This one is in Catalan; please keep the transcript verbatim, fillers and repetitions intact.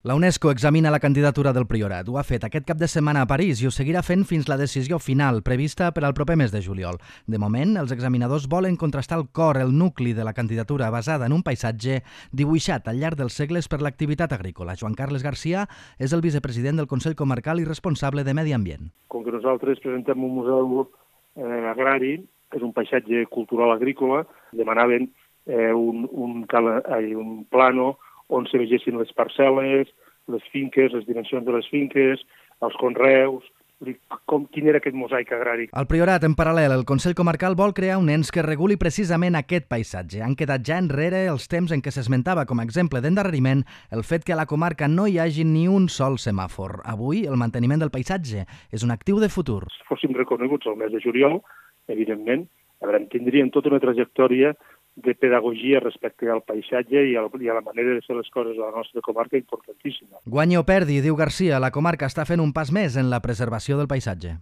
La UNESCO examina la candidatura del Priorat. Ho ha fet aquest cap de setmana a París i ho seguirà fent fins la decisió final, prevista per al proper mes de juliol. De moment, els examinadors volen contrastar el cor, el nucli de la candidatura basada en un paisatge dibuixat al llarg dels segles per l'activitat agrícola. Joan Carles Garcia és el vicepresident del Consell Comarcal i responsable de Medi Ambient. Com que nosaltres presentem un museu eh, agrari, és un paisatge cultural agrícola, demanaven eh, un, un, cal, eh, un plano on se vegessin les parcel·les, les finques, les dimensions de les finques, els conreus, com, quin era aquest mosaic agrari. Al Priorat, en paral·lel, el Consell Comarcal vol crear un ens que reguli precisament aquest paisatge. Han quedat ja enrere els temps en què s'esmentava com a exemple d'endarreriment el fet que a la comarca no hi hagi ni un sol semàfor. Avui, el manteniment del paisatge és un actiu de futur. Si fóssim reconeguts el mes de juliol, evidentment, tindríem tota una trajectòria de pedagogia respecte al paisatge i a, la, i a la manera de fer les coses a la nostra comarca importantíssima. Guanyi o perdi, diu Garcia, la comarca està fent un pas més en la preservació del paisatge.